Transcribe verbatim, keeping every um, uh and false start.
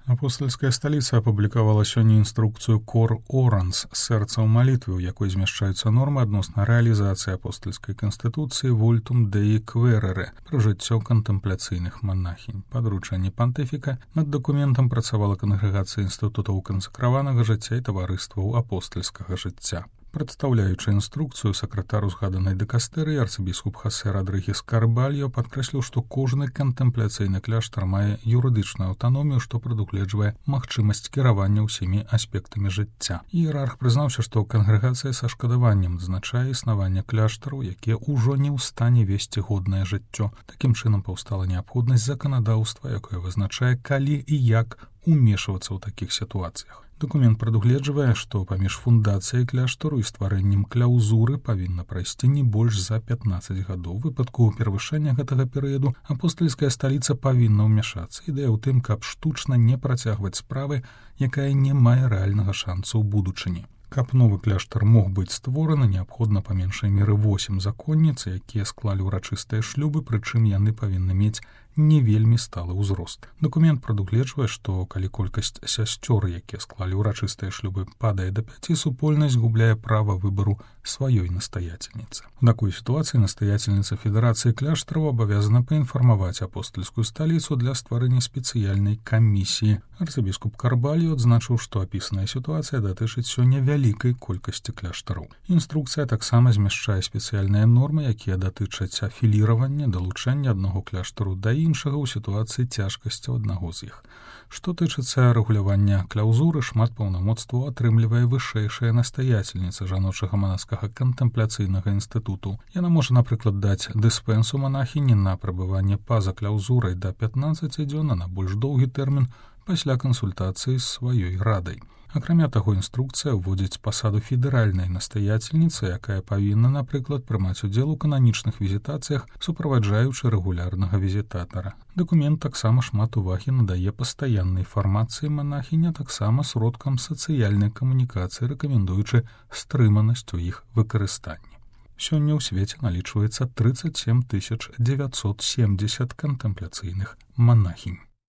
Апостольская столица апублікавала сёння інструкцыю «Кор Оранс» «Сэрца ў малітвы», у якой змяшчаюцца нормы адносна рэалізацыі апостольскай канстытуцыі «Вольтум Деи Кверере» пра жыццё кантэмпляцыйных манахінь. Па даручэнні пантыфіка над дакументам працавала кангрэгацыя інстытутаў кансакраванага жыцця і таварыстваў апостальскага жыцця. Прадстаўляючы інструкцыю, сакратар узгаданай дыкастэрыі арцыбіскуп Хосе Родрыгес Карбальо падкрэсліў, што кожны кантэмпляцыйны кляштар мае юрыдычную аўтаномію, што прадугледжвае магчымасць кіравання ўсімі аспектамі жыцця. Іерарх прызнаўся, што кангрэгацыя са шкадаваннем адзначае існаванне кляштараў, якія ўжо не ў стане весці годнае жыццё. Такім чынам паўстала неабходнасць заканадаўства, якое вызначае, калі і як умешвацца ў такіх сітуацыях. Дакумент прадугледжвае, што паміж фундацыяй кляштару і стварэннем кляўзуры павінна прайсці не больш за пятнаццаць гадоў. У выпадку перавышэння гэтага перыяду апостальская сталіца павінна ўмяшацца. Ідэя ў тым, каб штучна не працягваць справы, якая не мае рэальнага шанцу ў будучыні. Каб новы кляштар мог быць створаны, неабходна па меншай меры восем законніц, якія склалі ўрачыстыя шлюбы, прычым яны павінны мець не вельмі сталы ўзрост. Дакумент прадугледжвае, што калі колькасць сясцёр, якія склалі ўрачыстыя шлюбы, падае да пяці, супольнасць губляе права выбару сваёй настаяцельніцы. У такой сітуацыі настаяцельніца Федэрацыі кляштараў абавязана паінфармаваць апостальскую сталіцу для стварэння спецыяльнай камісіі. Арцыбіскуп Карбальо адзначыў, што апісаная сітуацыя датычыць сёння вялікай колькасці кляштараў. Інструкцыя таксама змяшчае спецыяльныя нормы, якія датычаць афіліравання, далучэння аднаго кляштару да іншага ў сітуацыі цяжкасцяў аднаго з іх. Што тычыцца рэгулявання кляўзуры, шмат паўнамоцтваў атрымлівае вышэйшая настаяцельніца жаночага манаскага кантэмпляцыйнага інстытуту. Яна можа, напрыклад, даць дыспэнсу манахіні на прабыванне па-за кляўзурай да пятнаццаці дзён, а на больш доўгі тэрмін пасля кансультацыі з сваёй радай. Акрамя таго, інструкцыя ўводзіць пасаду федэральнай настаяцельніцы, якая павінна, напрыклад, прымаць удзел у кананічных візітацыях, суправаджаючы рэгулярнага візітатара. Дакумент таксама шмат увагі надае пастаяннай фармацыі манахіня, таксама сродкам сацыяльнай камунікацыі, рэкамендуючы стрыманасць у іх выкарыстанні. Сёння ў свеце налічваецца трыццаць сем тысяч дзевяцьсот семдзесят кантэмпляцыйных манахінь.